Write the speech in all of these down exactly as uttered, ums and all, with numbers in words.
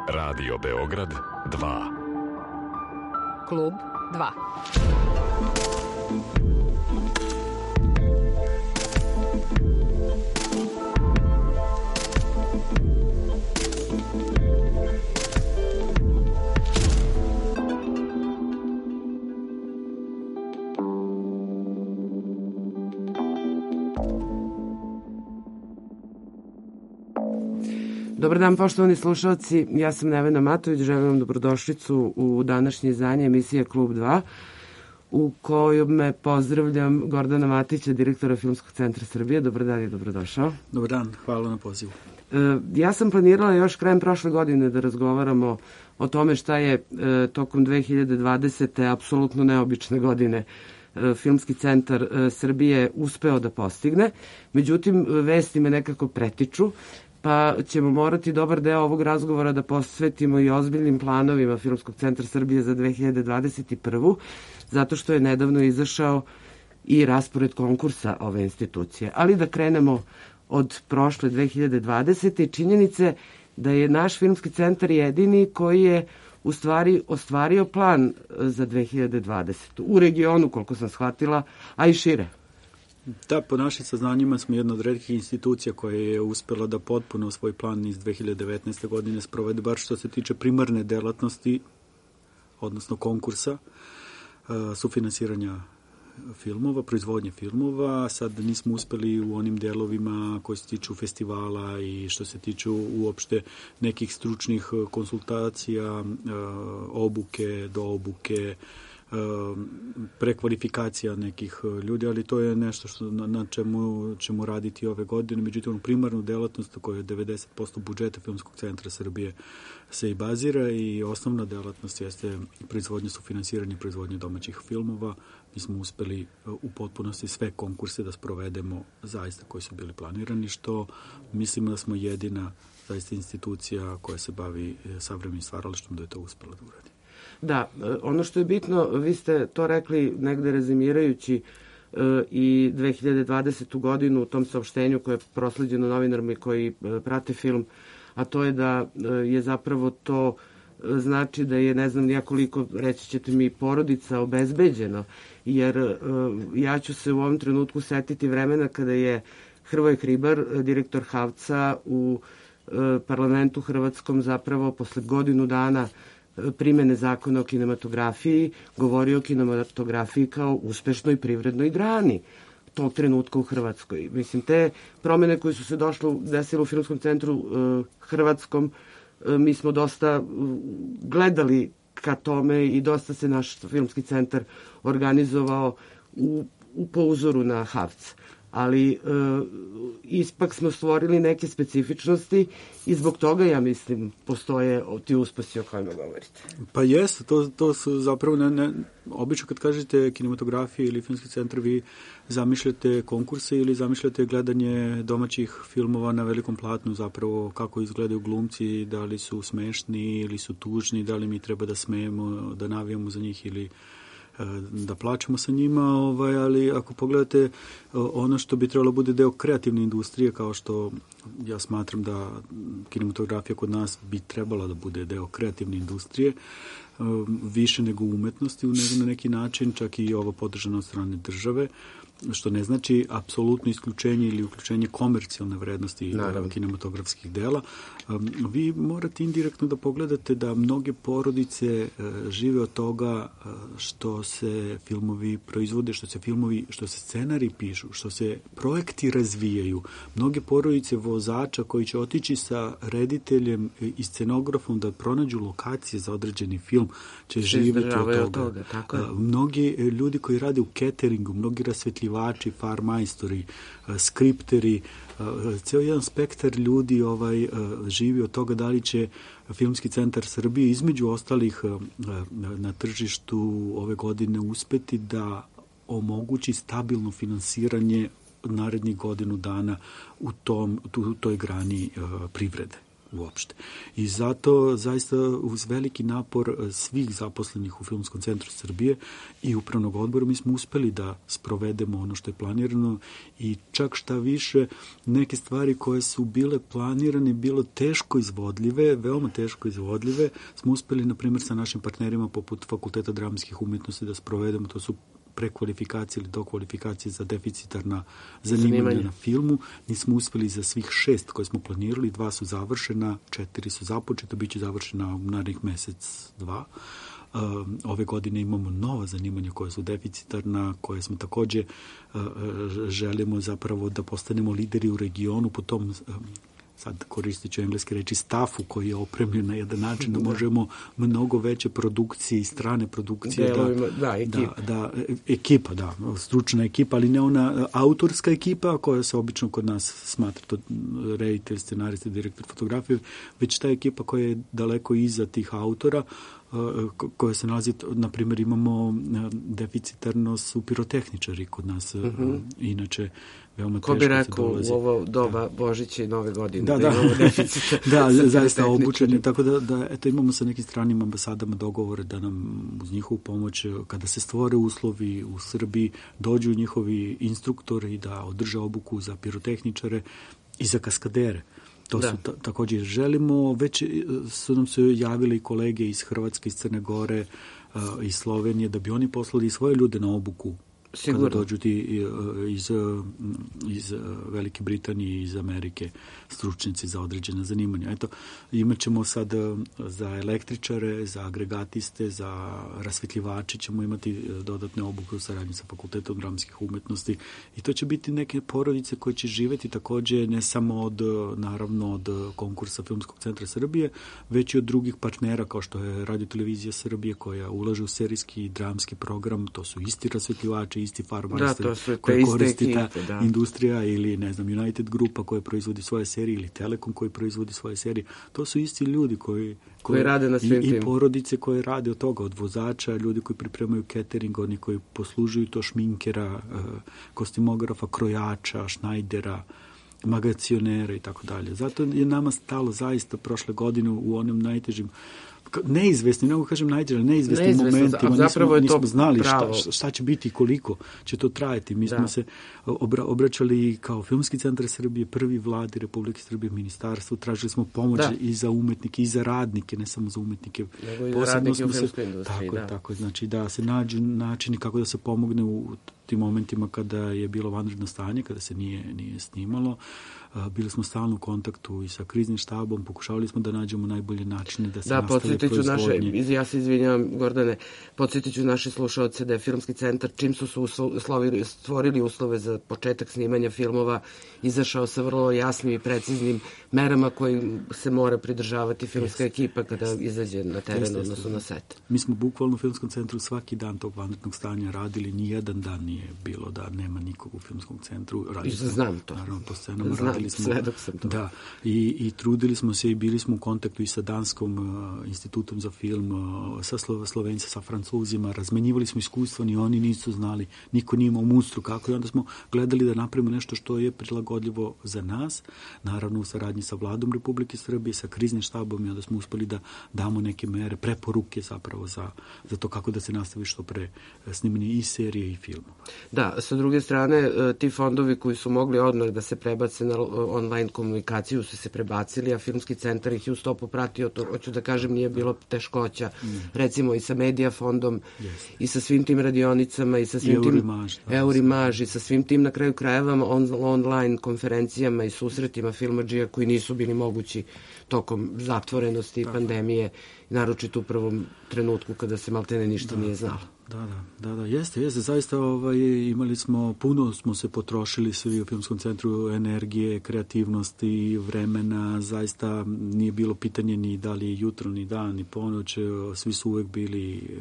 Radio Beograd dva. Klub dva. Dobar dan, poštovani slušalci, ja sam Nevena Matović, želim vam dobrodošlicu u današnje izdanje emisije Klub dva, u kojoj me pozdravljam Gordana Matića, direktora Filmskog centra Srbije. Dobar dan i dobrodošao. Dobar dan, hvala na pozivu. E, ja sam planirala još krajem prošle godine da razgovaramo o tome šta je e, tokom dve hiljade dvadesete. apsolutno neobične godine e, Filmski centar e, Srbije uspeo da postigne. Međutim, vesti me nekako pretiču, pa ćemo morati dobar deo ovog razgovora da posvetimo i ozbiljnim planovima Filmskog centra Srbije za dve hiljade dvadeset prvu. zato što je nedavno izašao i raspored konkursa ove institucije. Ali da krenemo od prošle dve hiljade dvadesete. i činjenice da je naš Filmski centar jedini koji je u stvari ostvario plan za dve hiljade dvadesetu. U regionu, koliko sam shvatila, a i šire. Da, po našim saznanjima smo jedna od retkih institucija koja je uspela da potpuno svoj plan iz dve hiljade devetnaeste. godine sprovede, bar što se tiče primarne delatnosti, odnosno konkursa, sufinansiranja filmova, proizvodnje filmova. Sad nismo uspeli u onim delovima koji se tiču festivala i što se tiču uopšte nekih stručnih konsultacija, obuke, do obuke, prekvalifikacija nekih ljudi, ali to je nešto što, na, na čemu ćemo raditi ove godine. Međutim, primarnu delatnost koja je devedeset posto budžeta Filmskog centra Srbije se i bazira i osnovna delatnost jeste proizvodnje, sufinansiranje proizvodnje domaćih filmova. Mi smo uspeli u potpunosti sve konkurse da sprovedemo zaista koji su bili planirani, što mislimo da smo jedina zaista institucija koja se bavi savremenim stvaralaštvom da je to uspela da uradi. Da, ono što je bitno, vi ste to rekli negde rezimirajući i dve hiljade dvadesetu. godinu u tom saopštenju koje je prosleđeno novinarima koji prate film, a to je da je zapravo to znači da je, ne znam nijakoliko, reći ćete mi, porodica obezbeđeno, jer ja ću se u ovom trenutku setiti vremena kada je Hrvoje Hribar, direktor Havca, u parlamentu hrvatskom zapravo posle godinu dana primene zakona o kinematografiji govorio o kinematografiji kao uspešnoj privrednoj grani tog trenutka u Hrvatskoj. Mislim, te promene koje su se došle, desile u Filmskom centru uh, Hrvatskom, uh, mi smo dosta uh, gledali ka tome i dosta se naš Filmski centar organizovao u, u po uzoru na Havc. Ali e, ispak smo stvorili neke specifičnosti i zbog toga, ja mislim, postoje ti uspesi o kojima govorite. Pa jeste, to, to su zapravo, ne, ne, obično kad kažete kinematografija ili Filmski centar, vi zamišljate konkurse ili zamišljate gledanje domaćih filmova na velikom platnu, zapravo kako izgledaju glumci, da li su smešni ili su tužni, da li mi treba da smejemo, da navijamo za njih ili da plaćamo sa njima, ovaj, ali ako pogledate ono što bi trebalo bude deo kreativne industrije, kao što ja smatram da kinematografija kod nas bi trebala da bude deo kreativne industrije, više nego umetnosti na neki način, čak i ovo podržano od strane države, što ne znači apsolutno isključenje ili uključenje komercijalne vrednosti Naravno. kinematografskih dela. Vi morate indirektno da pogledate da mnoge porodice žive od toga što se filmovi proizvode, što se filmovi, što se scenari pišu, što se projekti razvijaju. Mnoge porodice vozača koji će otići sa rediteljem i scenografom da pronađu lokacije za određeni film će živjeti od toga. Od toga tako je. Mnogi ljudi koji rade u cateringu, mnogi rasvetljivači, farmajstori, skripteri, ceo jedan spektar ljudi ovaj, živi od toga da li će Filmski centar Srbije između ostalih na tržištu ove godine uspeti da omogući stabilno finansiranje narednih godinu dana u tom, u toj grani privrede. uopšte. I zato zaista uz veliki napor svih zaposlenih u Filmskom centru Srbije i upravnog odbora mi smo uspeli da sprovedemo ono što je planirano i čak šta više neke stvari koje su bile planirane bilo teško izvodljive, veoma teško izvodljive, smo uspeli na primjer sa našim partnerima poput Fakulteta dramskih umjetnosti da sprovedemo, to su prekvalifikacije ili dokvalifikacije za deficitarna zanimanja Zanimanje. na filmu. Nismo uspeli za svih šest koje smo planirali, dva su završena, četiri su započeta, bit će završena u narednih mesec, dva. Ove godine imamo nova zanimanja koja su deficitarna, koje smo takođe želimo zapravo da postanemo lideri u regionu po tom, sad koristit ću engleske reči, stafu koji je opremljen na jedan način da možemo mnogo veće produkcije i strane produkcije Delovima, da, da, ekipa. Da, da, ekipa, da, stručna ekipa, ali ne ona autorska ekipa koja se obično kod nas smatra to reditelj, scenarista, direktor fotografije, već ta ekipa koja je daleko iza tih autora, koja se nalazi, na primjer imamo deficitarno su pirotehničari kod nas, uh-huh. inače veoma teško se dolazi. Ko bi rekao u ovo doba da. Božića i Nove godine, da, da, da imamo deficit. Da, zaista obučeni, tako da, da eto, imamo sa nekim stranim ambasadama dogovore da nam uz njihovu pomoć, kada se stvore uslovi u Srbiji, dođu njihovi instruktori da održe obuku za pirotehničare i za kaskadere. To da. su ta, također želimo, već su nam se javile i kolege iz Hrvatske, iz Crne Gore, uh, iz Slovenije, da bi oni poslali svoje ljude na obuku. Sigurno. Kada dođu ti iz, iz Velike Britanije i iz Amerike stručnici za određene zanimanja. Eto, imat ćemo sad za električare, za agregatiste, za rasvetljivače ćemo imati dodatne obuke u saradnji sa Fakultetom dramskih umjetnosti i to će biti neke porodice koje će živjeti također ne samo od, naravno, od konkursa Filmskog centra Srbije, već i od drugih partnera kao što je Radio-televizija Srbije koja ulaže u serijski i dramski program, to su isti rasvetljivači, isti farmajster da, koji koristi ta da. industrija ili ne znam United grupa koja proizvodi svoje serije ili Telekom koji proizvodi svoje serije. To su isti ljudi koji, koji, koji rade na svim i, i porodice koje rade od toga, od vozača, ljudi koji pripremaju catering, oni koji poslužuju to šminkera, kostimografa, krojača, šnajdera, magacionera i tako dalje. Zato je nama stalo zaista prošle godine u onim najtežim neizvesni, ne mogu kažem najteže, neizvesnim momentima, nismo, nismo znali šta, šta će biti i koliko će to trajati. Mi da. smo se obra, obraćali kao Filmski centar Srbije, prvi vladi Republike Srbije, ministarstvo, tražili smo pomoć da. i za umetnike, i za radnike, ne samo za umetnike. Nego i za radnike u filmskoj industriji. Tako da. je, tako je. Znači da se nađu načini kako da se pomogne u tim momentima kada je bilo vanredno stanje, kada se nije, nije snimalo. Bili smo stalno u kontaktu i sa kriznim štabom, pokušavali smo da nađemo najbolje načine da se da, nastave proizvodnje. Naše, ja se izvinjam, Gordane, podsjetit ću naše slušaoce da je Filmski centar, čim su se uslovili, stvorili uslove za početak snimanja filmova, izašao sa vrlo jasnim i preciznim merama koji se mora pridržavati filmska yes. ekipa kada izađe na teren, yes, odnosno na set. Mi smo bukvalno u Filmskom centru svaki dan tog vanrednog stanja radili, ni jedan dan nije bilo da nema nikog u Filmskom centru. I znam to. Naravno, po scenama radili smo. Sve dok sam to. Da, i, i trudili smo se i bili smo u kontaktu i sa Danskom uh, institutom za film, uh, sa Slo, Slovenci, sa Francuzima, razmenjivali smo iskustva, ni oni nisu znali, niko nije imao mustru kako i onda smo gledali da napravimo nešto što je prilagodljivo za nas, naravno u saradnji sa vladom Republike Srbije, sa kriznim štabom i onda smo uspeli da damo neke mere, preporuke zapravo za, za to kako da se nastavi što pre snimanje i serije i filmova. Da, sa druge strane, ti fondovi koji su mogli odmah da se prebace na online komunikaciju su se prebacili, a Filmski centar ih je u stopu pratio, to hoću da kažem nije bilo teškoća, mm. recimo i sa Medija fondom yes. i sa svim tim radionicama i sa svim I tim Eurimaž i sa svim tim na kraju krajeva on, online konferencijama i susretima filmadžija koji nisu bili mogući tokom zatvorenosti i pandemije, naročito u prvom trenutku kada se maltene ništa da, nije znalo. Da, da, da, da, jeste, jeste, zaista ovaj, imali smo, puno smo se potrošili svi u Filmskom centru energije, kreativnosti, vremena, zaista nije bilo pitanje ni da li je jutro, ni dan, ni ponoć, svi su uvek bili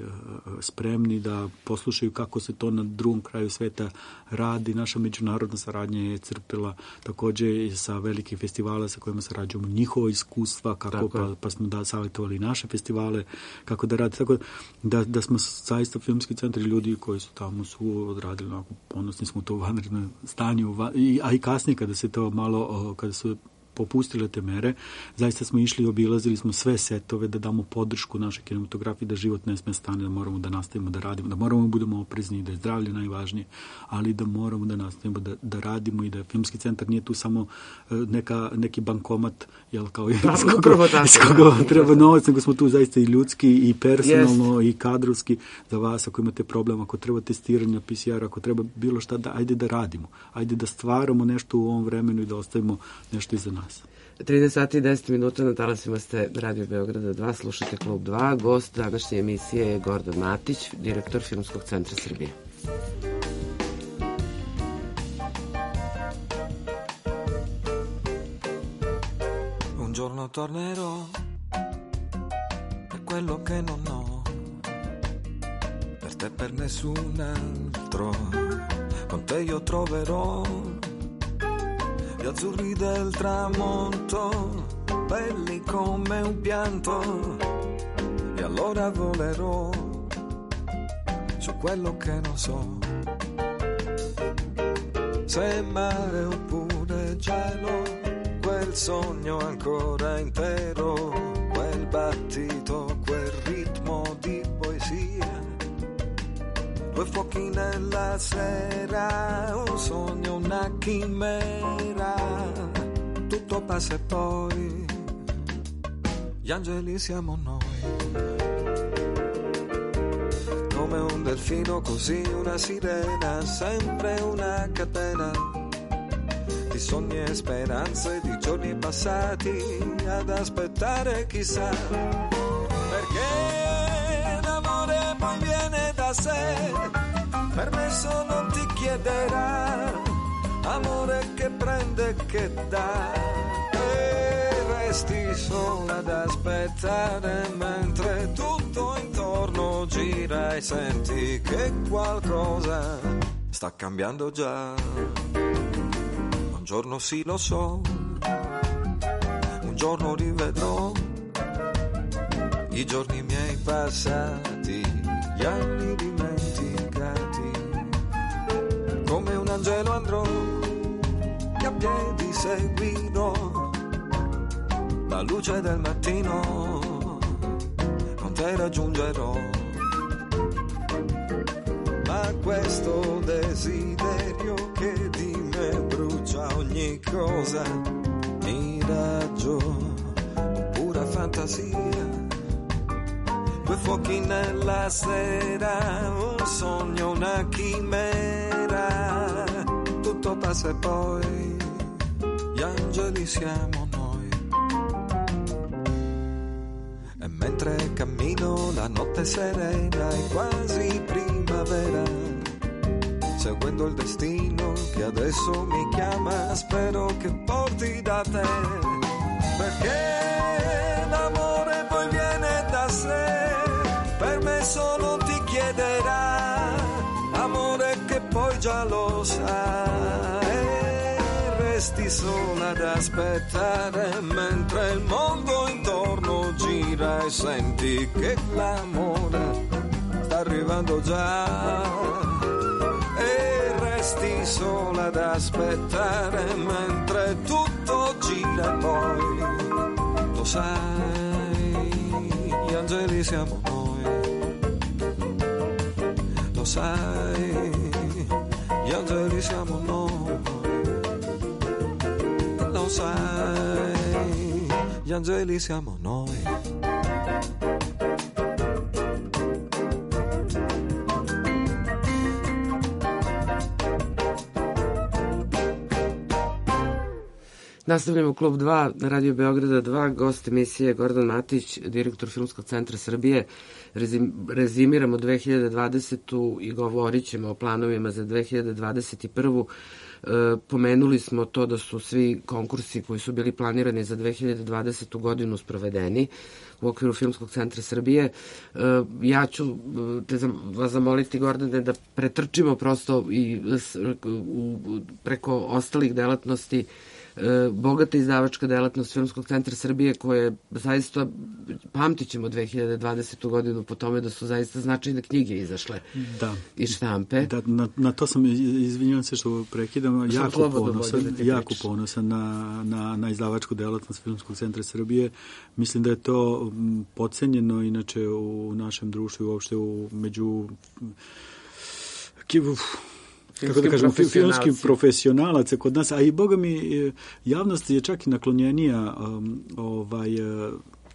spremni da poslušaju kako se to na drugom kraju sveta radi. Naša međunarodna saradnja je crpila također sa velikih festivala sa kojima sarađujemo njihova iskustva, kako pa, pa smo da savjetovali naše festivale, kako da radi, tako da, da smo zaista Filmski centar i ljudi koji su tamo su odradili, onako, ponosni smo to u vanrednom stanju, a i kasnije kada se to malo, kada su popustile te mere. Zaista smo išli i obilazili smo sve setove da damo podršku našoj kinematografiji, da život ne sme stane, da moramo da nastavimo da radimo, da moramo da budemo oprezni, da je zdravlje najvažnije, ali da moramo da nastavimo da, da radimo i da Filmski centar nije tu samo neka, neki bankomat, jel, kao iz koga, iz koga treba novac, nego smo tu zaista i ljudski i personalno yes. i kadrovski za vas, ako imate problem, ako treba testiranja P C R, ako treba bilo šta, da, ajde da radimo, ajde da stvaramo nešto u ovom vremenu i da ostavimo nešto iza nas. trinaest sati i deset minuta na talasima ste Radio Beograda dva, slušate Klub dva. Gost današnje emisije je Gordon Matić, direktor Filmskog centra Srbije. Un giorno tornerò per quello che non ho, per te, per nessun altro. Con te io troverò gli azzurri del tramonto, belli come un pianto, e allora volerò su quello che non so, se mare oppure cielo, quel sogno ancora intero, quel battito, quel ritmo di poesia, due fuochi nella sera, un sogno, una chimera, tutto passa e poi gli angeli siamo noi, come un delfino, così una sirena, sempre una catena di sogni e speranze, di giorni passati ad aspettare chissà, perché l'amore poi viene da sé, permesso non ti chiederà, amore che prende e che dà, e resti sola ad aspettare mentre tutto intorno gira e senti che qualcosa sta cambiando già. Un giorno sì lo so, un giorno rivedrò i giorni miei passati, gli anni dimenticati, come un angelo andrò e a piedi seguirò la luce del mattino, con te raggiungerò, ma questo desiderio che di me brucia ogni cosa, miraggio, pura fantasia, due fuochi nella sera, un sogno, una chimera, tutto passa e poi gli angeli siamo noi. E mentre cammino la notte serena è quasi primavera, seguendo il destino che adesso mi chiama, spero che porti da te, perché l'amore poi viene da sé, permesso non ti chiederà, amore che poi già lo sa, e resti sola ad aspettare mentre il mondo intorno gira e senti che l'amore sta arrivando già, e resti sola ad aspettare mentre tutto gira e poi lo sai, gli angeli siamo noi, lo sai, gli angeli siamo noi, lo sai, gli angeli siamo noi. Nastavljamo Klub dva na Radio Beograda dva, gost emisije Gordon Matić, direktor Filmskog centra Srbije. Rezim, rezimiramo dve hiljade dvadesetu i govorit ćemo o planovima za dve hiljade dvadeset prvu. E, pomenuli smo to da su svi konkursi koji su bili planirani za dve hiljade dvadesetu godinu sprovedeni u okviru Filmskog centra Srbije. E, ja ću te zam, vas zamoliti, Gordane, da pretrčimo prosto i s, u, preko ostalih delatnosti bogata izdavačka delatnost Filmskog centra Srbije, koje zaista pamtit ćemo dve hiljade dvadesetu godinu po tome da su zaista značajne knjige izašle da. iz štampe. Da, na, na to sam, izvinjavam se što prekidam, jako ponosan, da jako ponosan na, na, na izdavačku delatnost Filmskog centra Srbije. Mislim da je to podcenjeno inače u našem društvu i uopšte u, među kako da kažem, filmskim profesionalaca kod nas, a i boga mi javnost je čak i naklonjenija um, ovaj,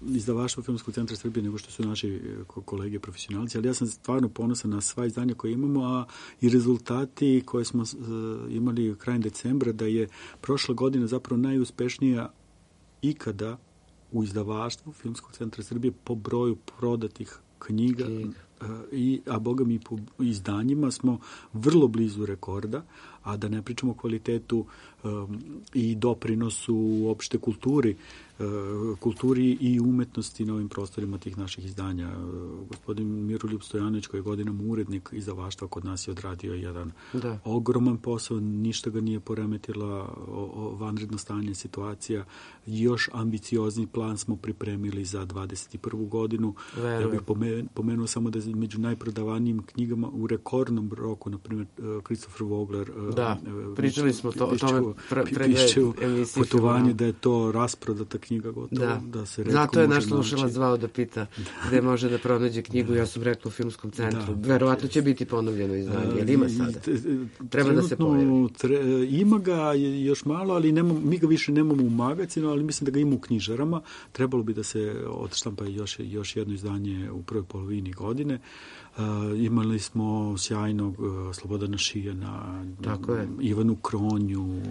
izdavaštvo Filmskog centra Srbije nego što su naši kolege profesionalci, ali ja sam stvarno ponosan na sva izdanja koje imamo, a i rezultati koje smo uh, imali krajem decembra, da je prošla godina zapravo najuspešnija ikada u izdavaštvu Filmskog centra Srbije po broju prodatih knjiga, I, a boga mi po izdanjima smo vrlo blizu rekorda, a da ne pričamo o kvalitetu um, i doprinosu uopšte kulturi, uh, kulturi i umetnosti na ovim prostorima tih naših izdanja. Uh, gospodin Miroljub Stojanović, koji je godinama urednik izdavaštva, kod nas je odradio jedan da. ogroman posao, ništa ga nije poremetila o, o vanredno stanje, situacija. Još ambiciozni plan smo pripremili za dvadeset prvu godinu. Vero. Ja bih pomenuo samo da je među najprodavanijim knjigama u rekordnom roku, na primjer, Christopher Vogler, da, pričali smo to, o tome pre, pre emisiji putovanje, da je to rasprodata knjiga gotovo, da, da se retko može zato je naš slušalac zvao da pita da. gde može da pronađe knjigu, da. ja sam rekla u Filmskom centru. Da, Verovatno će biti ponovljeno izdanje, jer ima sada. Treba da se pojavi. Tre, ima ga još malo, ali nema, mi ga više nemamo u magazinu, ali mislim da ga ima u knjižarama. Trebalo bi da se odštampa još, još jedno izdanje u prvoj polovini godine. Uh, imali smo sjajnog uh, Slobodana Šijana, Ivanu Kronju,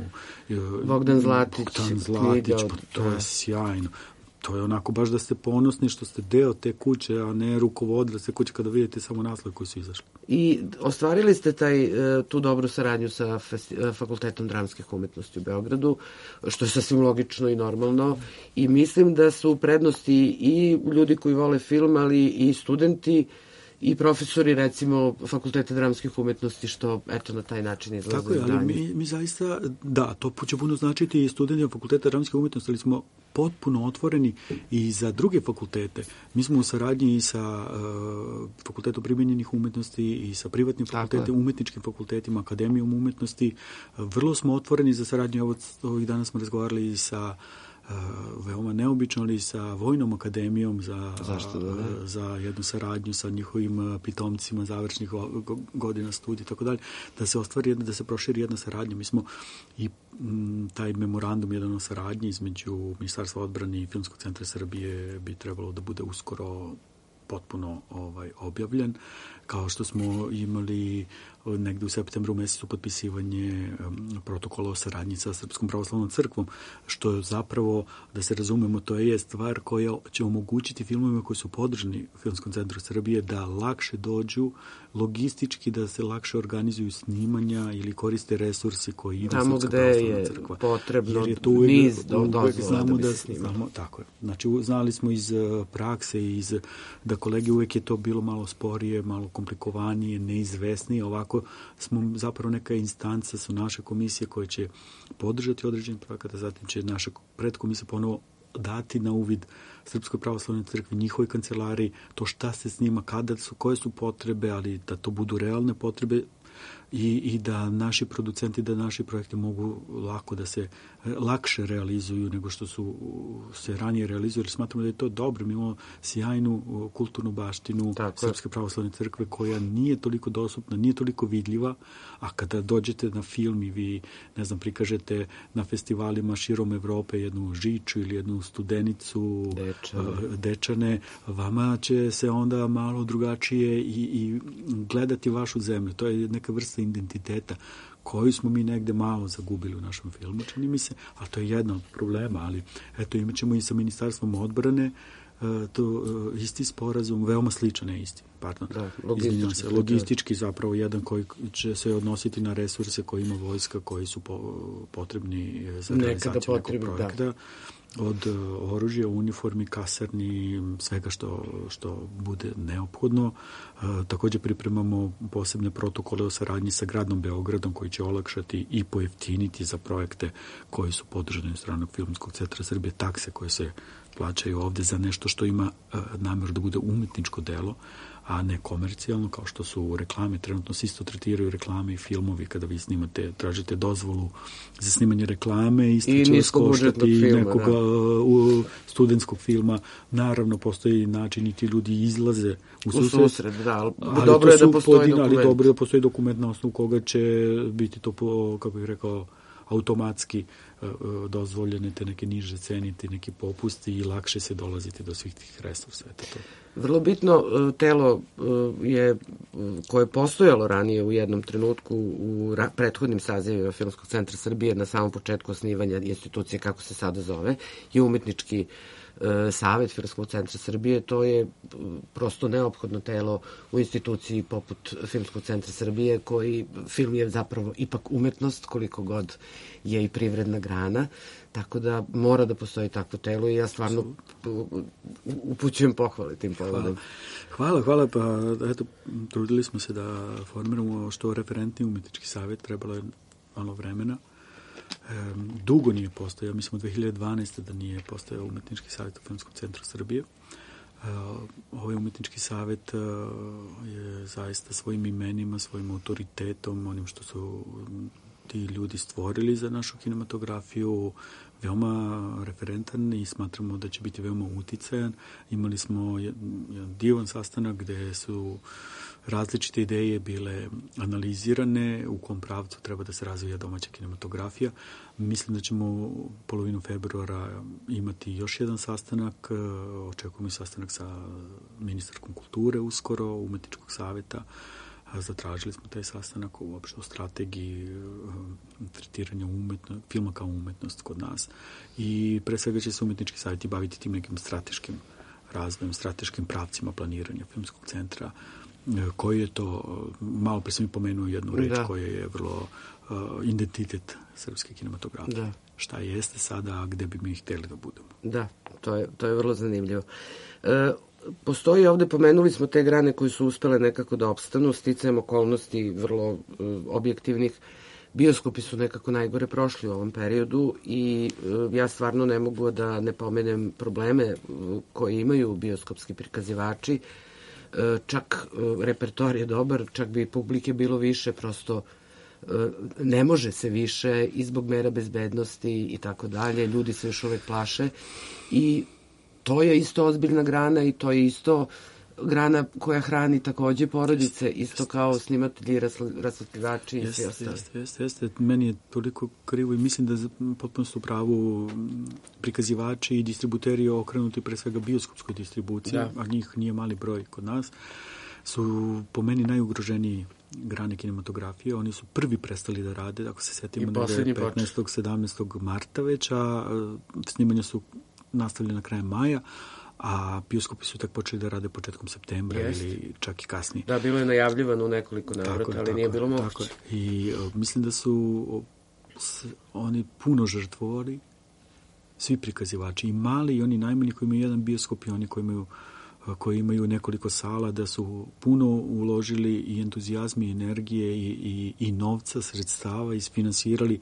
uh, Bogdan Zlatić, Bogdan Zlatić, pa to je sjajno. To je onako baš da ste ponosni što ste deo te kuće, a ne rukovodili te kuće kada vidite samo naslov koji su izašli. I ostvarili ste taj, tu dobru saradnju sa festi- Fakultetom dramskih umetnosti u Beogradu, što je sasvim logično i normalno, i mislim da su prednosti i ljudi koji vole film, ali i studenti i profesori, recimo, Fakulteta dramskih umetnosti, što, eto, na taj način izlaze. Tako je, ali mi, mi zaista, da, to će puno značiti i studenti Fakulteta dramskih umetnosti, ali smo potpuno otvoreni i za druge fakultete. Mi smo u saradnji i sa uh, Fakultetom primenjenih umetnosti i sa privatnim fakultetima, umetničkim fakultetima, Akademijom umetnosti. Uh, vrlo smo otvoreni za saradnju. Ovo, ovih dana smo razgovarali i sa Uh, veoma neobično, ali sa Vojnom akademijom za, Zašto da ne? za jednu saradnju sa njihovim pitomcima završnih godina studija i tako dalje, da se ostvari jedna, da se proširi jedna saradnja. Mi smo i m, taj memorandum jedan o saradnji između Ministarstva odbrane i Filmskog centra Srbije bi trebalo da bude uskoro potpuno ovaj objavljen, kao što smo imali negde u septembru mesecu potpisivanje um, protokola o saradnji sa Srpskom pravoslavnom crkvom, što je zapravo, da se razumemo, to je stvar koja će omogućiti filmovima koji su podržani u Filmskom centru Srbije da lakše dođu logistički, da se lakše organizuju snimanja ili koriste resursi koji ima tamo Srpska gde je crkva. Potrebno je tu uvek, niz do, uvek znamo da, da, da se znamo, tako je. Znači, znali smo iz prakse, iz, da kolege uvek je to bilo malo sporije, malo komplikovanije, neizvesnije. Ovako smo zapravo neka instanca, su naše komisije koje će podržati određen projekat, a zatim će naša predkomisija ponovo dati na uvid Srpskoj pravoslavnoj crkvi, njihovoj kancelariji, to šta se snima, kada su, koje su potrebe, ali da to budu realne potrebe i, i da naši producenti, da naši projekti mogu lako da se lakše realizuju nego što su se ranije realizovali. Smatramo da je to dobro. Mi imamo sjajnu kulturnu baštinu Tako Srpske pravoslavne crkve koja nije toliko dostupna, nije toliko vidljiva, a kada dođete na film i vi, ne znam, prikažete na festivalima širom Evrope jednu Žiču ili jednu Studenicu, Dečane, Dečane vama će se onda malo drugačije i, i gledati vašu zemlju. To je neka vrsta identiteta koju smo mi negde malo zagubili u našem filmu, čini mi se, a to je jedan od problema, ali eto, imat ćemo i sa Ministarstvom odbrane to isti sporazum, veoma sličan, ne isti, pardon, da, logistički, se, logistički zapravo jedan koji će se odnositi na resurse koje ima vojska, koji su po, potrebni za realizaciju nekog projekta. Da. od oružja, uniformi, kasarni, svega što, što bude neophodno. E, također pripremamo posebne protokole o saradnji sa gradom Beogradom koji će olakšati i pojeftiniti za projekte koji su podržani od stranog Filmskog centra Srbije, takse koje se plaćaju ovde za nešto što ima e, namjer da bude umetničko delo, a ne komercijalno, kao što su reklame. Trenutno se isto tretiraju reklame i filmovi kada vi snimate, tražite dozvolu za snimanje reklame, isto će vas koštati nekog da. u, studentskog filma. Naravno, postoji način i ti ljudi izlaze u susret. U susret, da, ali, ali dobro je da postoji pojedina, dokument. Ali dobro je da postoji dokument na osnovu koga će biti to, po, kako bih rekao, automatski dozvoljene te neke niže cene, te neki popusti i lakše se dolaziti do svih tih resursa. Eto to. Vrlo bitno telo je koje je postojalo ranije u jednom trenutku u prethodnim sazivima Filmskog centra Srbije na samom početku osnivanja institucije, kako se sada zove, je umetnički Savet Filmskog centra Srbije. To je prosto neophodno telo u instituciji poput Filmskog centra Srbije, koji film je zapravo ipak umetnost, koliko god je i privredna grana, tako da mora da postoji takvo telo i ja stvarno upućujem pohvale tim povodom. Hvala, hvala, pa eto, trudili smo se da formiramo što referentni umetnički savjet, trebalo je malo vremena. E, dugo nije postojao, mislim od dve hiljade dvanaeste da nije postojao umetnički savjet u Filmskom centru Srbije. E, ovaj umetnički savjet e, je zaista svojim imenima, svojim autoritetom, onim što su ti ljudi stvorili za našu kinematografiju, veoma referentan i smatramo da će biti veoma uticajan. Imali smo jedan divan sastanak gde su različite ideje bile analizirane, u kom pravcu treba da se razvija domaća kinematografija. Mislim da ćemo polovinu februara imati još jedan sastanak, očekujemo i sastanak sa ministarkom kulture uskoro, umetničkog saveta. Zatražili smo taj sastanak uopšte o strategiji tretiranja umetno, filma kao umetnost kod nas. I pre svega će se umetnički savjeti baviti tim nekim strateškim razvojem, strateškim pravcima planiranja Filmskog centra, koji je to, malo pre sam i pomenuo jednu reč da. koja je vrlo uh, identitet srpske kinematografije. Da. Šta jeste sada, a gde bi mi hteli da budemo. Da, to je, to je vrlo zanimljivo. E, postoji ovde, pomenuli smo te grane koje su uspele nekako da opstanu, sticajem okolnosti vrlo uh, objektivnih. Bioskopi su nekako najgore prošli u ovom periodu i uh, ja stvarno ne mogu da ne pomenem probleme uh, koje imaju bioskopski prikazivači. Čak repertoar je dobar, čak bi publike bilo više, prosto ne može se više i zbog mera bezbednosti i tako dalje, ljudi se još uvek plaše i to je isto ozbiljna grana i to je isto grana koja hrani takođe porodice, isto kao snimatelji, rasvetljivači i svi ostali. Jeste, jeste, jeste. Meni je toliko krivo i mislim da potpuno su u pravu prikazivači i distributeri okrenuti pre svega bioskopskoj distribuciji, da. a njih nije mali broj kod nas, su po meni najugroženiji grane kinematografije. Oni su prvi prestali da rade, ako se setimo, da je petnaestog sedamnaestog marta već, a snimanja su nastavljena krajem maja, a bioskopi su tak počeli da rade početkom septembra Jest. ili čak i kasnije. Da, bilo je najavljivano u nekoliko navrata, ali tako, nije bilo moguće. I uh, mislim da su s, oni puno žrtvovali, svi prikazivači, i mali i oni najmanji koji imaju jedan bioskop i oni koji imaju koji imaju nekoliko sala, da su puno uložili i entuzijazmi, i energije i, i, i novca, sredstava, isfinansirali.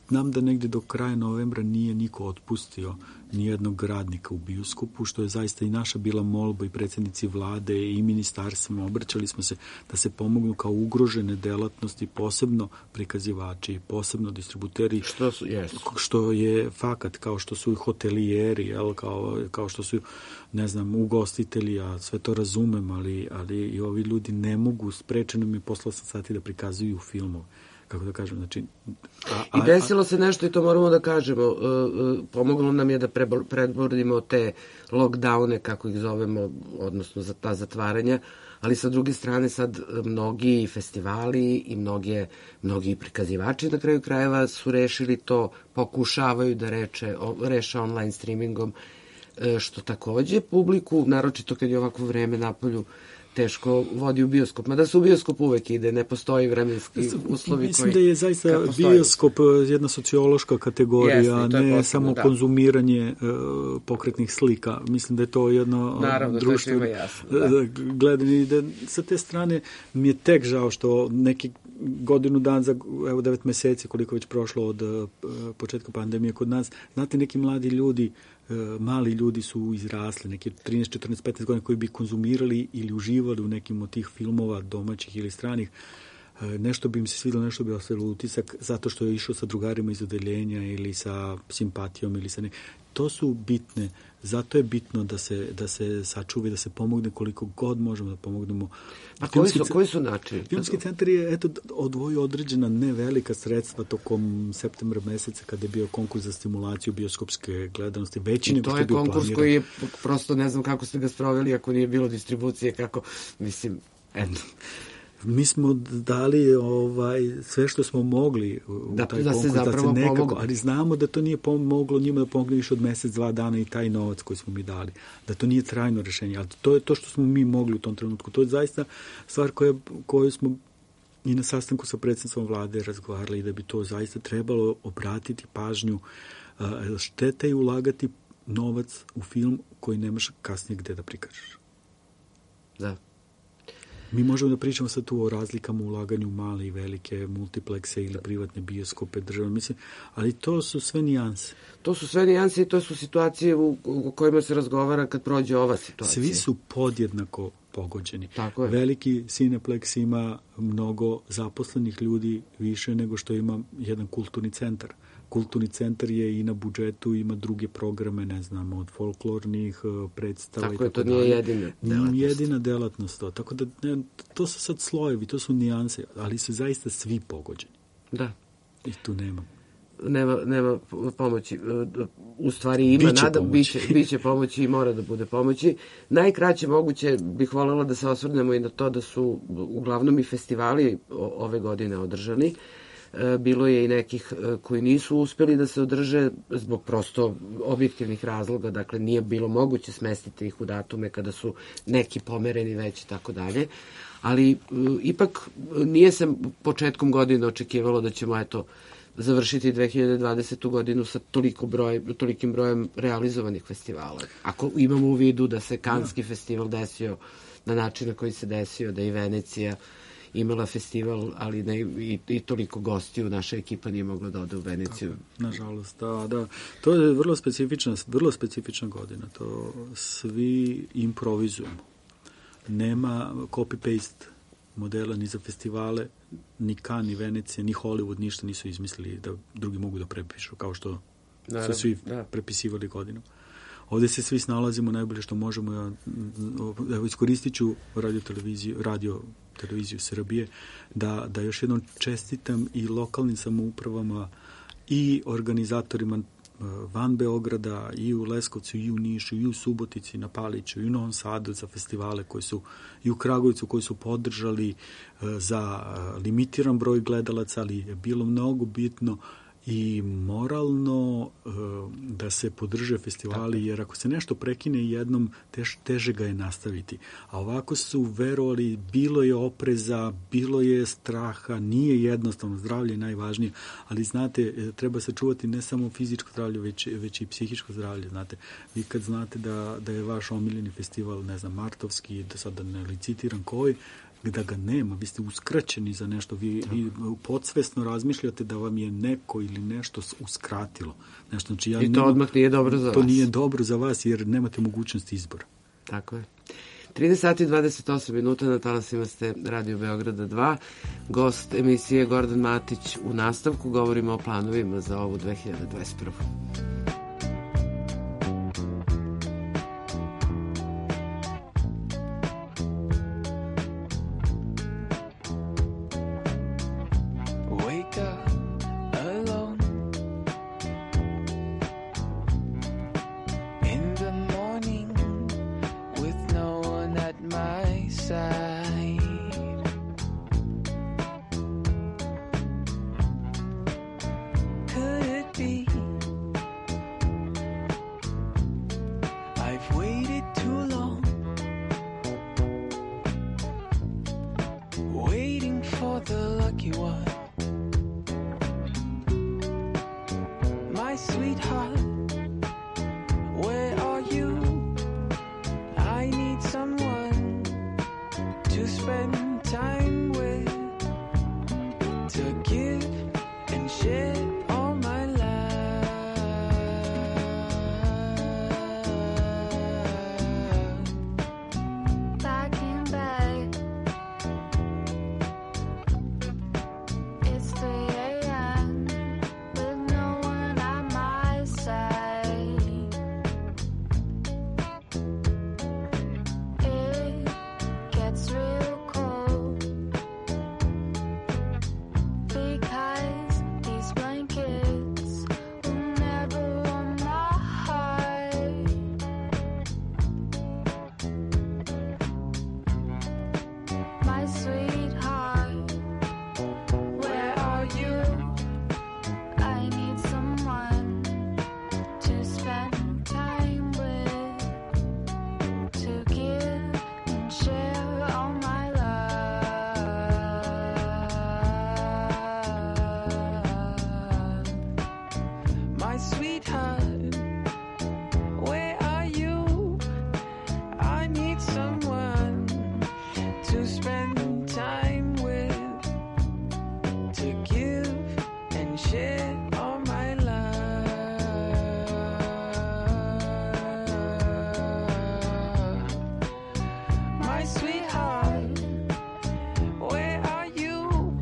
Znam da negde do kraja novembra nije niko otpustio nijednog radnika u bioskopu, što je zaista i naša bila molba i predsjednici vlade i ministarstvima. Obraćali smo se da se pomognu kao ugrožene delatnosti, posebno prikazivači, posebno distributeri, što, su, yes. što je fakat, kao što su i hotelijeri, jel, kao, kao što su, ne znam, ugostitelji, a sve to razumem, ali, ali i ovi ljudi ne mogu, sprečeno mi posle osam sati da prikazuju filmove. Kako da kažem, znači... A, a, I desilo se nešto i to moramo da kažemo. Uh, uh, pomoglo nam je da predbordimo te lockdowne, kako ih zovemo, odnosno za ta zatvaranja, ali sa druge strane sad mnogi festivali i mnoge, mnogi prikazivači na kraju krajeva su rešili to, pokušavaju da reče, o, reše online streamingom, što takođe publiku, naročito kad je ovako vreme napolju, teško vodi u bioskop. Mada se u bioskop uvek ide, ne postoji vremenski uslovi Mislim koji... da je zaista bioskop jedna sociološka kategorija, Jeste, ne samo da. konzumiranje uh, pokretnih slika. Mislim da je to jedno Naravno, društvo. Naravno, to je jasno. Da. Gledanje, da sa te strane mi je tek žao što neki godinu dan za evo devet meseci koliko već prošlo od uh, početka pandemije kod nas, znate, neki mladi ljudi, uh, mali ljudi su izrasli, neki trinaest, četrnaest, petnaest godina koji bi konzumirali ili uživali u nekim od tih filmova domaćih ili stranih. Uh, nešto bi im se svidilo, nešto bi ostavilo utisak zato što je išao sa drugarima iz odeljenja ili sa simpatijom ili sa ne. To su bitne, zato je bitno da se, da se sačuvi, da se pomogne koliko god možemo da pomognemo. A koji su, koji su načini? Filmski centar je eto, odvojio određena nevelika sredstva tokom septembra meseca kada je bio konkurs za stimulaciju bioskopske gledanosti, veći nego što je bio planiran. To je konkurs koji je, prosto ne znam kako ste ga sproveli, ako nije bilo distribucije, kako, mislim, eto. Mi smo dali ovaj sve što smo mogli u da, taj da konkurs, se zapravo da se nekako, pomogu. Ali znamo da to nije pomoglo njima da pomogne više od mesec, dva dana i taj novac koji smo mi dali. Da to nije trajno rešenje, ali to je to što smo mi mogli u tom trenutku. To je zaista stvar koja, koju smo i na sastanku sa predsjednicom vlade razgovarali i da bi to zaista trebalo obratiti pažnju. Šteta je ulagati novac u film koji nemaš kasnije gde da prikažeš. Da. Mi možemo da pričamo sad tu o razlikama u ulaganju u male i velike multiplekse ili privatne bioskope, državne, mislim, ali to su sve nijanse. To su sve nijanse i to su situacije u, u kojima se razgovara kad prođe ova situacija. Svi su podjednako pogođeni. Tako je. Veliki Cineplex ima mnogo zaposlenih ljudi više nego što ima jedan kulturni centar. Kulturni centar je i na budžetu, ima druge programe, ne znam, od folklornih predstava. Tako je, to nije jedina delatnost. Nije jedina delatnost to. Tako da, ne, to su sad slojevi, to su nijanse, ali su zaista svi pogođeni. Da. I tu nema. Nema, nema pomoći. U stvari ima, biće nada, pomoći. biće, biće pomoći i mora da bude pomoći. Najkraće moguće bih voljela da se osvrnemo i na to da su uglavnom i festivali ove godine održani. Bilo je i nekih koji nisu uspeli da se održe zbog prosto objektivnih razloga, dakle nije bilo moguće smestiti ih u datume kada su neki pomereni već i tako dalje, ali ipak nije se početkom godine očekivalo da ćemo eto završiti dve hiljade dvadesetu godinu sa toliko broj, tolikim brojem realizovanih festivala. Ako imamo u vidu da se Kanski festival desio na način na koji se desio, da i Venecija imala festival, ali ne i, i toliko gostiju, naša ekipa nije mogla da ode u Veneciju. Tako, nažalost, da, da. To je vrlo specifična, vrlo specifična godina. To svi improvizujemo. Nema copy-paste modela ni za festivale, ni Cannes, ni Venecija, ni Hollywood, ništa nisu izmislili da drugi mogu da prepišu, kao što Naravno, su svi da. prepisivali godinu. Ovde se svi snalazimo najbolje što možemo. Ja, evo, iskoristit ću radio televiziju, radio televiziju Srbije, da, da još jednom čestitam i lokalnim samoupravama i organizatorima van Beograda, i u Leskovcu, i u Nišu, i u Subotici, na Paliću, i u Novom Sadu za festivale koji su, i u Kragujevcu koji su podržali za limitiran broj gledalaca, ali je bilo mnogo bitno i moralno uh, da se podrže festivali, jer ako se nešto prekine jednom, tež, teže ga je nastaviti. A ovako su verovali, bilo je opreza, bilo je straha, nije jednostavno, zdravlje je najvažnije, ali znate, treba se čuvati ne samo fizičko zdravlje, već, već i psihičko zdravlje, znate. Vi kad znate da, da je vaš omiljeni festival, ne znam, martovski, da sad ne licitiram koji, da ga nema, vi ste uskraćeni za nešto, vi, vi podsvesno razmišljate da vam je neko ili nešto uskratilo. Nešto, znači, ja I to nema, odmah nije dobro za to vas. To nije dobro za vas jer nemate mogućnosti izbora. Tako je. trinaest sati i dvadeset osam minuta, na talasima ste Radio Beograda dva. Gost emisije Gordan Matić. U nastavku govorimo o planovima za ovu dve hiljade dvadeset prvu. Could it be My sweetheart, where are you? I need someone to spend time with, to give and share all my life. Back in bed, it's three a.m. with no one at my side. It gets real cold because these blankets will never warm my heart. My sweetheart, where are you? I need someone to spend time with, to give and share all my love. My sweetheart, where are you? I need someone to spend time with, to give and share all my love. My sweetheart, where are you?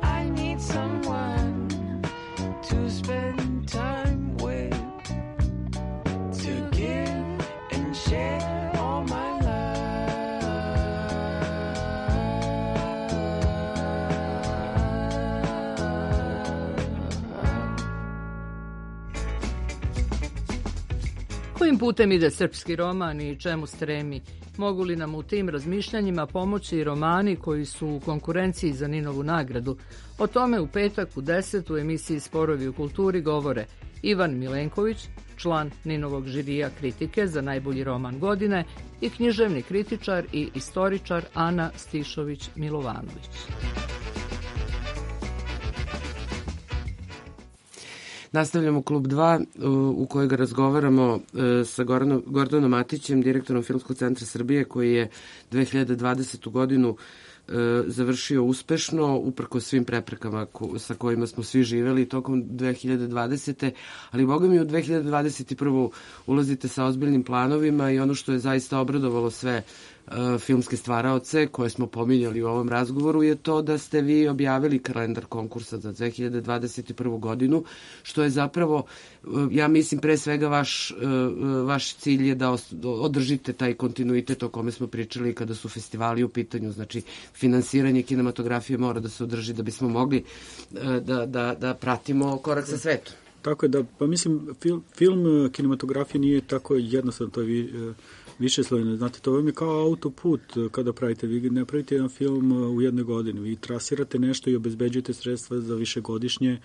I need someone to spend time with, to give and share all my love. Kojim putem ide srpski roman i čemu stremi? Mogu li nam u tim razmišljanjima pomoći romani koji su u konkurenciji za Ninovu nagradu? O tome u petak u deset u emisiji Sporovi u kulturi govore Ivan Milenković, član Ninovog žirija kritike za najbolji roman godine, i književni kritičar i istoričar Ana Stišović-Milovanović. Nastavljamo klub dva u kojeg razgovaramo sa Goranom, Gordanom Matićem, direktorom Filmskog centra Srbije, koji je dve hiljade dvadesetu godinu završio uspešno, uprkos svim preprekama sa kojima smo svi živeli tokom dve hiljade dvadesete. Ali, boga mi, u dve hiljade dvadeset prvu ulazite sa ozbiljnim planovima i ono što je zaista obradovalo sve filmske stvaraoce koje smo pominjali u ovom razgovoru je to da ste vi objavili kalendar konkursa za dve hiljade dvadeset prvu godinu, što je zapravo, ja mislim, pre svega vaš, vaš cilj je da održite taj kontinuitet o kome smo pričali kada su festivali u pitanju. Znači, finansiranje kinematografije mora da se održi da bismo mogli da, da, da pratimo korak sa svetom. Tako je da, pa mislim, film, film kinematografije nije tako jednostavno, to je vi, više slojeno. Znate, to vam je kao autoput kada pravite. Vi ne pravite jedan film u jednoj godini. Vi trasirate nešto i obezbeđujete sredstva za višegodišnje,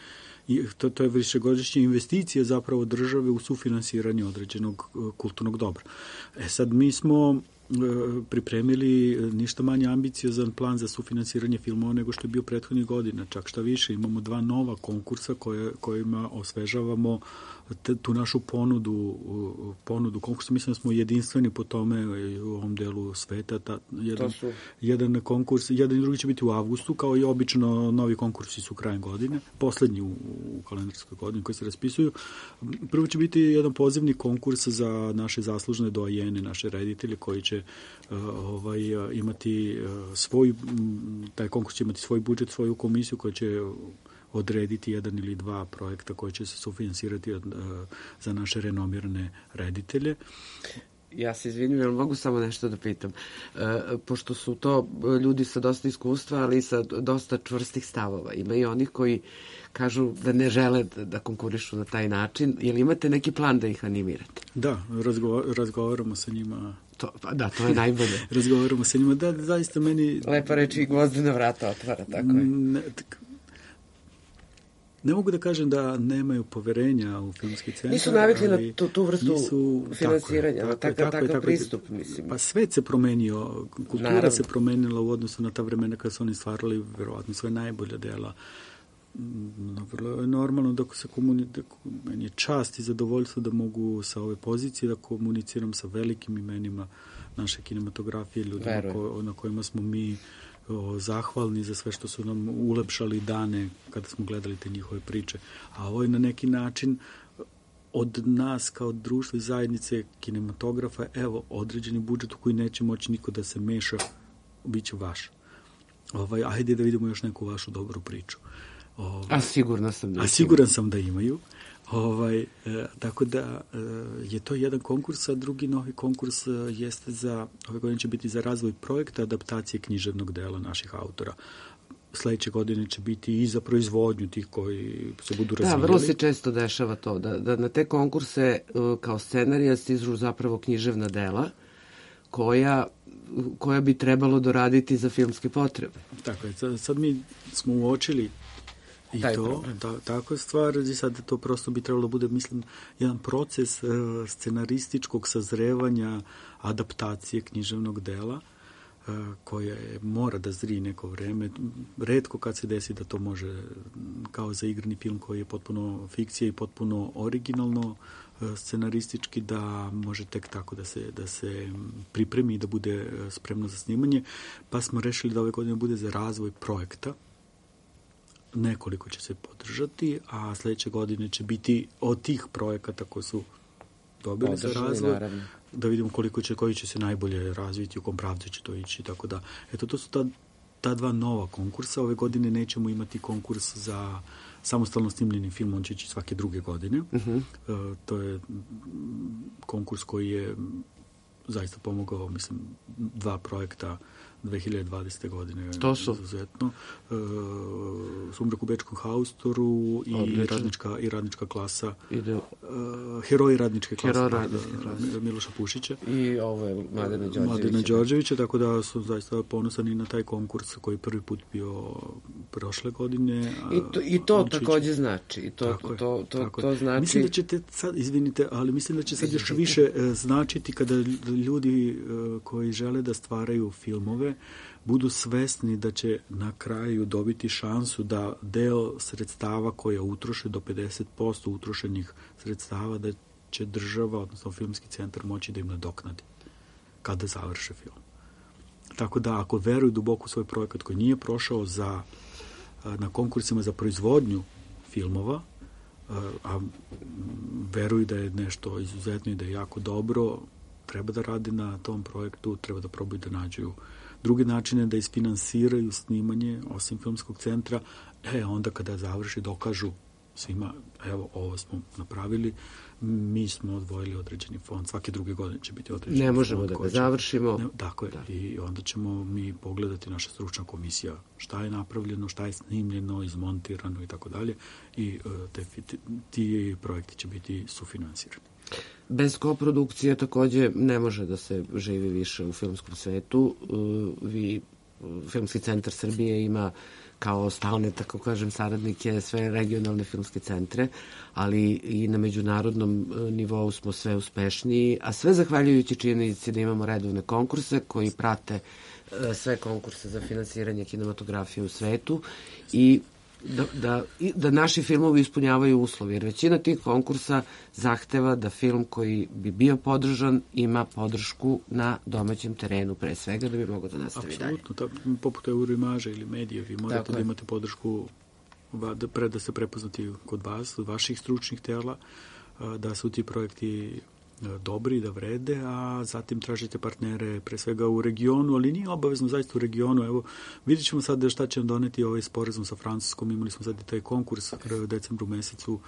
to, to je višegodišnje investicije zapravo države u sufinansiranje određenog kulturnog dobra. E sad, mi smo pripremili ništa manje ambiciozan plan za sufinansiranje filmova nego što je bio prethodnih godina. Čak šta više, imamo dva nova konkursa koje, kojima osvežavamo tu našu ponudu, ponudu konkursa. Mislim da smo jedinstveni po tome u ovom delu sveta. Ta, jedan, su... jedan konkurs, jedan i drugi će biti u avgustu, kao i obično novi konkursi su krajem godine, poslednji u, u kalendarskoj godini koji se raspisuju. Prvo će biti jedan pozivni konkurs za naše zaslužne doajene, naše reditelje koji će uh, ovaj, imati uh, svoj, taj konkurs će imati svoj budžet, svoju komisiju koja će odrediti jedan ili dva projekta koji će se sufinansirati uh, za naše renomirane reditelje. Ja se izvinim, ali mogu samo nešto da pitam. E, pošto su to ljudi sa dosta iskustva, ali i sa dosta čvrstih stavova. Ima i onih koji kažu da ne žele da konkurišu na taj način. Je li imate neki plan da ih animirate? Da, razgo, razgovaramo sa njima. To, pa da, to je najbolje. razgovaramo sa njima. Da, zaista meni... Lepa reći i gvozdena vrata otvara, tako je. Ne, tak... Ne mogu da kažem da nemaju poverenja u filmski centar. Nisu navikli na tu, tu vrstu nisu, finansiranja, tako je, tako, takav, takav tako, pristup, mislim. Pa svet se promenio, kultura Naravno. se promenila u odnosu na ta vremena kada su oni stvarali verovatno svoje najbolja dela. vrlo je normalno da se komunicira, meni je čast i zadovoljstvo da mogu sa ove pozicije da komuniciram sa velikim imenima naše kinematografije, ljudima ko, na kojima smo mi o, zahvalni za sve što su nam ulepšali dane kada smo gledali te njihove priče. A ovo je na neki način od nas kao društva i zajednice kinematografa, evo, određeni budžet u koji neće moći niko da se meša, bit će vaš. Ovaj, ajde da vidimo još neku vašu dobru priču. Ovaj, a sigurno sam da a siguran sam da imaju. Ovaj, e, tako da e, je to jedan konkurs, a drugi novi konkurs e, jeste za, ove godine će biti za razvoj projekta adaptacije književnog dela naših autora. Sledeće godine će biti i za proizvodnju tih koji se budu razvijali. Da, vrlo se često dešava to, da, da na te konkurse kao scenarija stižu zapravo književna dela koja, koja bi trebalo doraditi za filmske potrebe. Tako je, sad, sad mi smo uočili i taj to, ta, tako je stvar, i sad to prosto bi trebalo bude, mislim, jedan proces uh, scenarističkog sazrevanja, adaptacije književnog dela, koje mora da zri neko vreme. Retko kad se desi da to može, kao za igrani film koji je potpuno fikcija i potpuno originalno scenaristički, da može tek tako da se, da se pripremi i da bude spremno za snimanje. Pa smo rešili da ove godine bude za razvoj projekta. Nekoliko će se podržati, a sledeće godine će biti od tih projekata koji su dobili za razvoj, naravno, da vidimo koliko će, koji će se najbolje razviti, u kom pravcu će to ići, tako da, eto, to su ta, ta dva nova konkursa. Ove godine nećemo imati konkurs za samostalno snimljeni film, on će ići svake druge godine. Uh-huh. E, to je konkurs koji je zaista pomogao, mislim, dva projekta dve hiljade dvadesete godine. To su? Izuzetno. E, Sumrak u Bečkom haustoru i radnička, i radnička klasa. Ide... E, heroji radničke klase. Heroj radničke klase. Miloša Pušića. I ovo je Mladena Đorđevića. Mladena Đorđevića, tako da su zaista ponosani na taj konkurs koji prvi put bio prošle godine. I to, i to takođe znači. I to, tako to, to, to, to znači... Mislim da ćete sad, izvinite, ali mislim da će sad još više značiti kada ljudi koji žele da stvaraju filmove budu svesni da će na kraju dobiti šansu da deo sredstava koja utroše do pedeset posto utrošenih sredstava da će država, odnosno filmski centar, moći da im nadoknadi kada završe film. Tako da ako veruju duboko u svoj projekat koji nije prošao za, na konkursima za proizvodnju filmova, a veruju da je nešto izuzetno i da je jako dobro, treba da radi na tom projektu, treba da probaju da nađu drugi načine da isfinansiraju snimanje, osim filmskog centra, e, onda kada završi dokažu svima, evo, ovo smo napravili, mi smo odvojili određeni fond, svake druge godine će biti određeni fond. Ne možemo da ga završimo. Ne, tako je, da. I onda ćemo mi pogledati, naša stručna komisija, šta je napravljeno, šta je snimljeno, izmontirano i tako dalje, i te, ti, ti projekti će biti sufinansirani. Bez koprodukcije takođe ne može da se živi više u filmskom svetu. Vi, Filmski centar Srbije ima kao stalne, tako kažem, saradnike sve regionalne filmske centre, ali i na međunarodnom nivou smo sve uspešniji, a sve zahvaljujući činjenici da imamo redovne konkurse koji prate sve konkurse za finansiranje kinematografije u svetu i Da, da, da naši filmovi ispunjavaju uslovi, jer većina tih konkursa zahteva da film koji bi bio podržan ima podršku na domaćem terenu, pre svega, da bi mogao da nastavi dalje. Apsolutno, poput Euroimaža ili medije, vi morate Tako da je. imate podršku da, pre, da se prepoznati kod vas, od vaših stručnih tela, da su ti projekti dobri, da vrede, a zatim tražite partnere pre svega u regionu, ali nije obavezno zaista u regionu. Evo, vidjet ćemo sad šta će nam doneti ovaj sporazum sa Francuskom. Imali smo sad i taj konkurs u decembru mesecu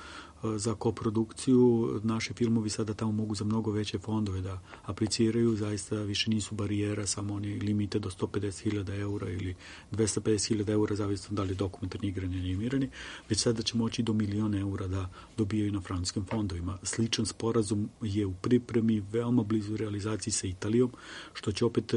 za koprodukciju. Naši filmovi sada tamo mogu za mnogo veće fondove da apliciraju. Zaista više nisu barijera, samo oni limite do sto pedeset hiljada eura ili dvesta pedeset hiljada eura, zavisno da li dokumentarni igrani ili animirani. Već sada će moći do miliona eura da dobijaju na francuskim fondovima. Sličan sporazum je u pripremi, veoma blizu realizaciji sa Italijom, što će opet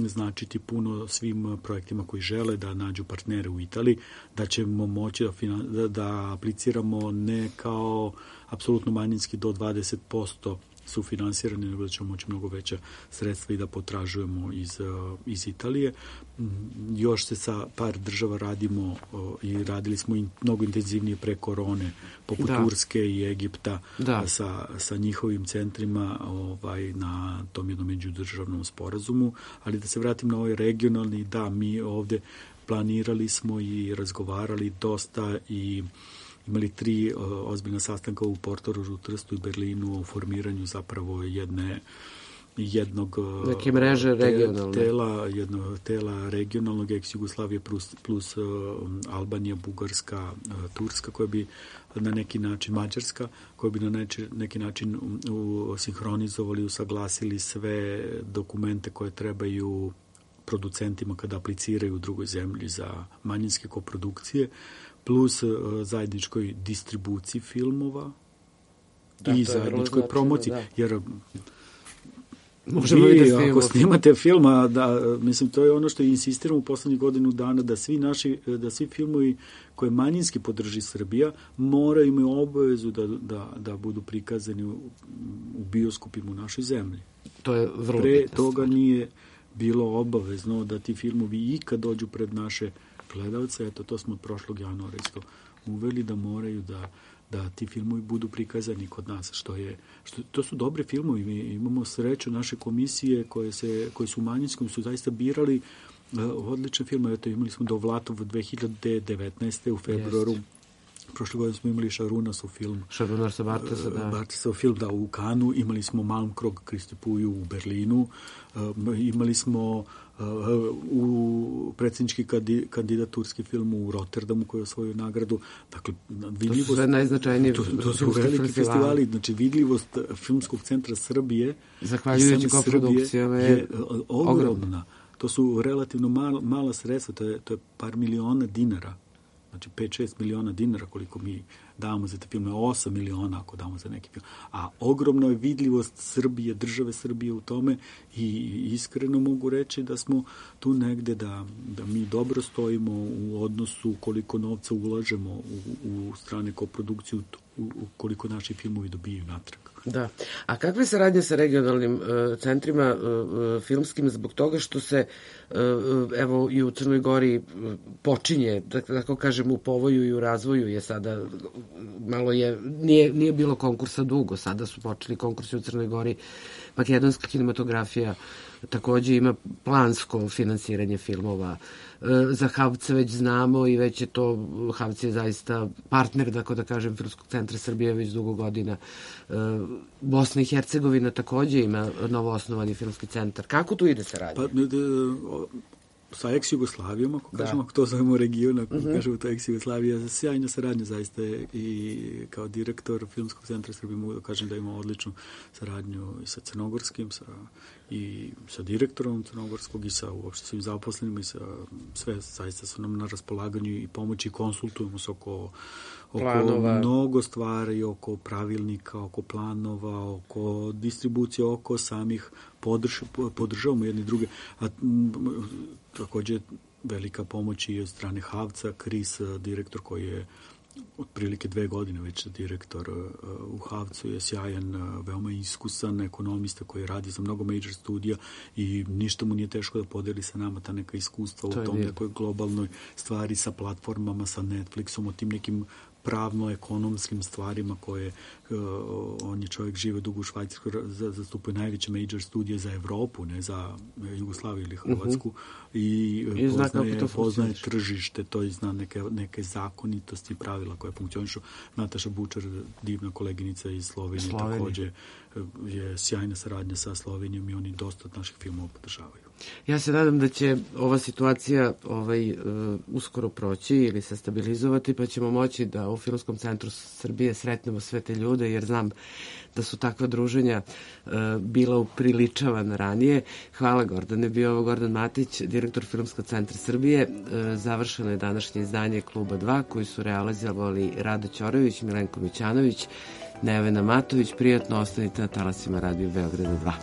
značiti puno svim projektima koji žele da nađu partnere u Italiji, da ćemo moći da, da, da apliciramo ne kao apsolutno manjinski do dvadeset posto sufinansirani, nego da ćemo moći mnogo veća sredstva i da potražujemo iz, iz Italije. Još se sa par država radimo i radili smo i mnogo intenzivnije pre korone, poput da. Turske i Egipta, da. sa, sa njihovim centrima ovaj, na tom jednom međudržavnom sporazumu. Ali da se vratim na ovaj regionalni, da, mi ovde planirali smo i razgovarali dosta i imali tri uh, ozbiljna sastanka u Portorožu, Trstu i Berlinu o formiranju zapravo jedne jednog neke mreže regionalne tela, jednog tela regionalnog ex Jugoslavije plus, plus uh, Albanija, Bugarska, uh, Turska, koja bi na neki način, Mađarska, koja bi na neči, neki način u, sinhronizovali, usaglasili sve dokumente koje trebaju producentima kada apliciraju u drugoj zemlji za manjinske koprodukcije, plus uh, zajedničkoj distribuciji filmova da, i zajedničkoj promociji, da. Jer vi, ako snimate filma, da, mislim, to je ono što insistiramo u poslednjih godinu dana, da svi naši, da svi filmovi koje manjinski podrži Srbija moraju imaju obavezu da, da, da budu prikazani u, u bioskopima u našoj zemlji. To je vrlo Pre toga nije bilo obavezno da ti filmovi ikad dođu pred naše gledalce. Eto, to smo od prošlog januara isto uveli, da moraju da da ti filmovi budu prikazani kod nas, što je, što, to su dobri filmovi, mi imamo sreću naše komisije koje, se, koje su u manjinskom, su zaista birali uh, odlične filme, eto imali smo Dovlatov dve hiljade devetnaeste u februaru, yes. Prošle godine smo imali Šarunasov film. Šarunasa Bartesa, da. Bartesov film, da, u Kanu, imali smo Malmkrog Kristipuju u Berlinu, uh, imali smo uh, u predsjednički kandidat turski film u Rotterdamu koji je osvojio nagradu. Dakle, vidljivost, to su sve najznačajnije to, to su veliki festivali. festivali. Znači, vidljivost Filmskog centra Srbije zahvaljujući koprodukcijama je ogromna. ogromna. To su relativno mal, mala sredstva, to je, to je par miliona dinara. Znači pet šest miliona dinara koliko mi damo za te filme, osam miliona ako damo za neki film. A ogromna je vidljivost Srbije, države Srbije u tome i iskreno mogu reći da smo tu negde da, da mi dobro stojimo u odnosu koliko novca ulažemo u, u strane koprodukciju, u, u koliko naši filmovi dobijaju natrag. Da. A kakve saradnje sa regionalnim uh, centrima uh, filmskim zbog toga što se uh, evo i u Crnoj Gori uh, počinje, da tako kažem, u povoju i u razvoju je sada malo je, nije, nije bilo konkursa dugo, sada su počeli konkursi u Crnoj Gori. Makedonska kinematografija takođe ima plansko finansiranje filmova. Za Havce već znamo i već je to, Havce je zaista partner, tako da kažem, Filmskog centra Srbije već dugo godina. Bosna i Hercegovina takođe ima novoosnovani filmski centar. Kako tu ide saradnja? Pa, sa ex-Jugoslavijom, ako da. kažemo, ako to zovemo region, ako uh-huh. kažemo to ex-Jugoslavija, sjajna saradnja zaista je i kao direktor Filmskog centra Srbije mogu da kažem da ima odličnu saradnju i sa crnogorskim, sa, i sa direktorom crnogorskog i sa uopšte svim zaposlenima i sa sve zaista su nam na raspolaganju i pomoći i konsultujemo se oko oko planova. Mnogo stvari, oko pravilnika, oko planova, oko distribucije, oko samih podrž, podržavamo jedni druge. A m, takođe velika pomoć i od strane Havca, Kris, direktor koji je otprilike dve godine već direktor u Havcu, je sjajan, veoma iskusan ekonomista koji radi za mnogo major studija i ništa mu nije teško da podeli sa nama ta neka iskustva to u tom dio. Nekoj globalnoj stvari sa platformama, sa Netflixom, o tim nekim pravno-ekonomskim stvarima koje uh, on je čovjek žive dugo u Švajcarskoj, zastupuje najveće major studije za Evropu, ne za Jugoslaviju ili Hrvatsku uh-huh. i, I poznaje, poznaje tržište, to i zna neke, neke zakonitosti i pravila koje funkcionišu. Nataša Bučar, divna koleginica iz Slovenije, Slovenije. takođe je sjajna saradnja sa Slovenijom i oni dosta od naših filmova podržavaju. Ja se nadam da će ova situacija ovaj, uh, uskoro proći ili se stabilizovati, pa ćemo moći da u Filmskom centru Srbije sretnemo sve te ljude, jer znam da su takva druženja uh, bila upriličavana ranije. Hvala, Gordane. Bio ovo Gordan Matić, direktor Filmskog centra Srbije. Uh, završeno je današnje izdanje Kluba dva, koji su realizovali Rado Ćorović, Milenko Mićanović, Nevena Matović. Prijatno ostanite na talasima Radio Beograda dva.